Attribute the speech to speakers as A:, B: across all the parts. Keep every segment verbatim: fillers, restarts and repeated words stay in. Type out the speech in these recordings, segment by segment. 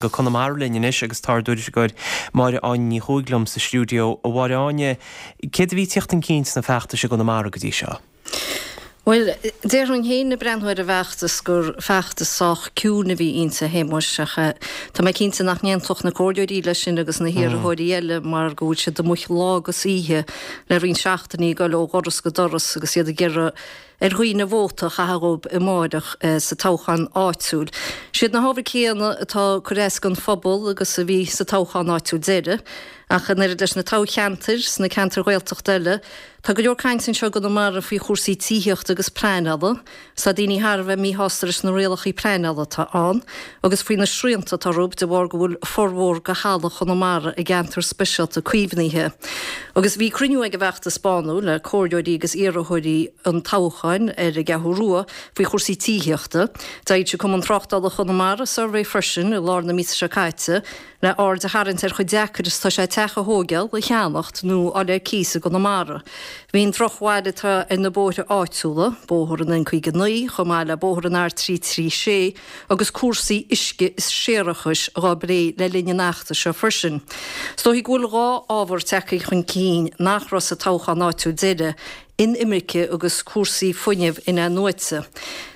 A: Go Conamara linn anois agus tá ár dtuairisceoir Máire Áine Ní Chuaig liom sa stiúideo. A Mháire Áine, céard a bhí ag tíocht chun cinn sna feachtais i gConamara go dtí seo?
B: Bhuel, déarfainn féin ag breathnú ar an bhfeachtas gur feachtas sách ciúin a bhí inti, a Shéamuis, ach tá mé cinnte nach n-aontódh na comhairleoirí leis sin agus na hiarrthóirí eile mar go bhfuil siad amuigh lá agus oíche le roinnt seachtainí ag dul ó dhoras go doras agus iad ag iarraidh ar dhaoine vóta a chaitheamh dhóibh amáireach sa toghchán áitiúil. Siad na hábhair céanna atá ag cur as don phobal agus a bhí sa toghchán áitiúil deiridh, ach an oiread leis na toghcheantair sna ceantair Ghaeltachta eile, tá go leor cainte anseo i gConamara faoi chúrsaí tithíochta agus pleanála. Tá daoine thar a bheith míshásta leis na rialacha pleanála atá ann agus faoi na srianta atá orthu de bharr go bhfuil formhór de thalamh Chonamara i gceantar speisialta caomhnaithe. Agus bhí cruinniú ag an bhfeachtas Bánú le comhairleoirí agus iarrthóirí an toghcháin ar an gCeathrú Rua faoi chúrsaí tithíochta. D'fhoilsigh Cumann Tráchtála Chonamara suirbhé freisin i lár na míosa seo caite le aird a tharraingt ar chomh deacair is atá sé teach a thóigeáil, a cheannacht nó a fháil ar cíos i gConamara. Bhí an drochbhail atá ar na bóithre áitiúla, bóthar an N caoga naoi chomh maith le bóthar an R trí trí sé agus cúrsaí uisce is séarachais dhá bplé le linn an fheachtais seo freisin. Is dóichí go bhfuil dhá ábhar tagtha chun cinn nach raibh sa toghchán áitiúil deiridh, inimirce agus cúrsaí fuinnimh in-athnuaite.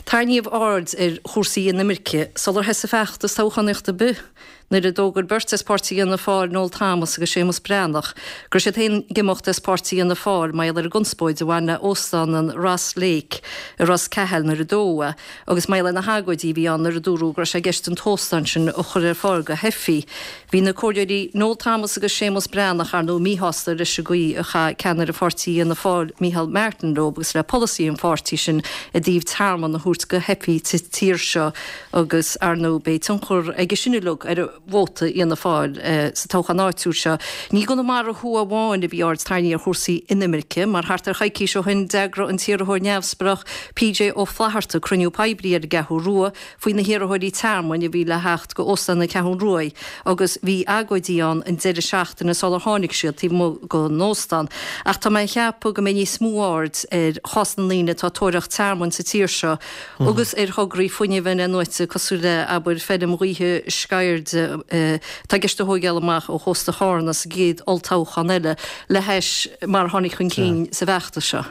B: Tarraingíodh aird ar chúrsaí inimirce sular thosaigh feachtas toghchánaíochta ar bith, nuair a d'fhógair beirt as páirtí Fhianna Fáil, Noel Thomas agus Séamus Breathnach, go raibh siad féin ag imeacht as páirtí Fhianna Fáil mar gheall ar an gconspóid a bhain le óstán an Ross Lake i Ros Cathail nuair a dódh é agus mar gheall ar na hagóidí a bhí ann nuair a dúradh go raibh sé i gceist an t-óstán sin a chur ar fáil do theifigh. Bhí na comhairleoirí Noel Thomas agus Séamus Breathnach, ar ndóigh, míshásta leis an gcaoi a chaith ceannaire pháirtí Fhianna Fáil, Micheál Martin leo agus le polasaí an pháirtí sin i dtaobh tearmann a thabhairt do theifigh sa tír seo agus, ar ndóigh, beidh tionchar aige sin uilig ar vóta Fhianna Fáil sa toghchán áitiúil seo. Ní i gConamara Thuaidh amháin a bhí aird tarraingthe ar chúrsaí inimirce mar thart ar choicís ó shin d'eagraigh an t-iarrthóir neamhspleách P J Ó Flatharta cruinniú poiblí ar an gCeathrú Rua faoi na hiarrthóirí tearmainn a bhí le theacht go Óstán na Ceathrún Ruaidh agus bhí agóidí ann an deireadh seachtaine sular tháinig siad taobh amuigh den óstán. Ach tá mé ag ceapadh go mbeidh níos mó aird ar chás na ndaoine atá ag tóraíocht tearmainn sa tír seo agus ar thograí fuinnimh in-athnuaite cosúil le, abair, feirm ghaoithe Sceirde atá i gceist a thóigeáil amach ó chósta Chárna sa gcéad olltoghchán eile le hais mar a tháinig chun cinn sa bhfeachtas seo.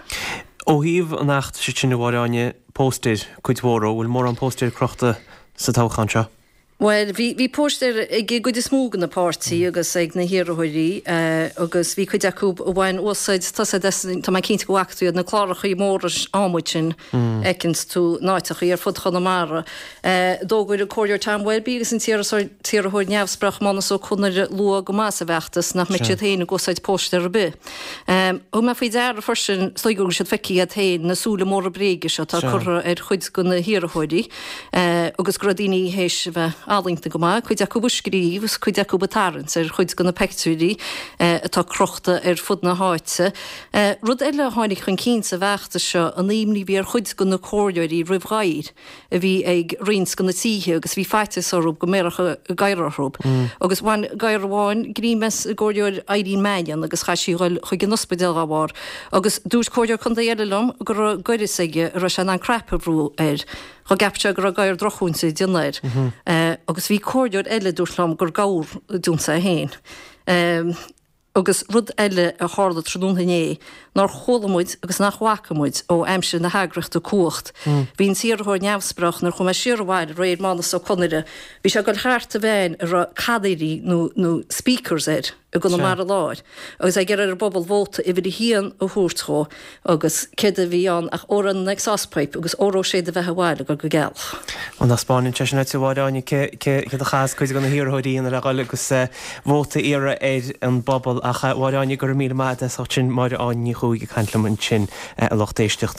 A: Ó thaobh an fheachtais sin, a Mháire Áine, póstaeir, cuid mhór, an bhfuil mórán póstaeir crochta sa toghchán seo?
B: Bhuel, bhí, bhí póstaeir ag an gcuid is mó de na páirtí agus ag na hiarrthóirí agus bhí cuid acu a bhain úsáid, tá siad as, tá mé cinnte go bhfaca tú iad, na clárachaí móra adhmaid sin a fheiceanns tú in áiteachaí ar fud Chonamara. D'fhógair an Comhairleoir Tom Welby agus an t-iarrthóir neamhspleách Mánus Ó Conaire luath go maith sa bhfeachtas nach mbeadh siad féin ag úsáid póstaer ar bith. Thug mé faoi deara freisin, is dóigh go bhfuil siad feicthe agat féin, na súile móra bréige seo atá curtha ar chuid de na hiarrthóirí agus go raibh daoine théis a bheith ealaíonta go maith, cuid acu ag scríobh agus cuid acu ag tarraingt ar chuid de na peictiúirí atá crochta ar fud na háite. Rud eile a tháinig chun cinn sa bhfeachtas seo, an imní a bhí ar chuid de na comhairleoirí roimh ghadhair a bhí ag roinnt de na tithe agus bhí faitíos orthu go mbéarfadh gadhar orthu. Agus bhain gadhar amháin greim as an gcomhairleoir Irene Mannion agus chaith sí a dhul chuig an ospidéal dá bharr. Agus dúirt comhairleoir contae eile liom go raibh goireas aige a raibh sé in ann cnaipe a bhrú air dhá gceapfadh sé go raibh gadhar drochmhúinte ag déanamh air. Agus bhí comhairleoir eile a dúirt liom gur gabhar a d'ionsaigh é féin. Agus rud eile a tharla tráthnóna inné nár chuala muid agus nach bhfaca muid ó aimsir na heagraíochta Cumhacht. Bhí an t-iarrthóir neamhspleách nuair a chuaigh mé siar abhaile aréir, Mánus Ó Conaire, bhí sé ag dul thart i veain a raibh cathaoirí nó nó speakers air i gConamara Láir agus é ag iarraidh ar an bpobal vóta uimhir a haon a thabhairt dhó agus céard a bhí ann ach odhrán an exhaust pipe agus óró sé do bheatha abhaile ag dul go gealach.
A: An dtaispeánann sé sin duit, a Mháire Áine, céard a chaitheas cuid de na hiarrthóirí a dhéanamh le dhul agus vóta a iarraidh ar an bpobal. Ach a Mháire Áine, go raibh míle maith agat as ucht sin. Máire Áine Ní Chuaig ag caint liom ansin, a lucht éisteachta.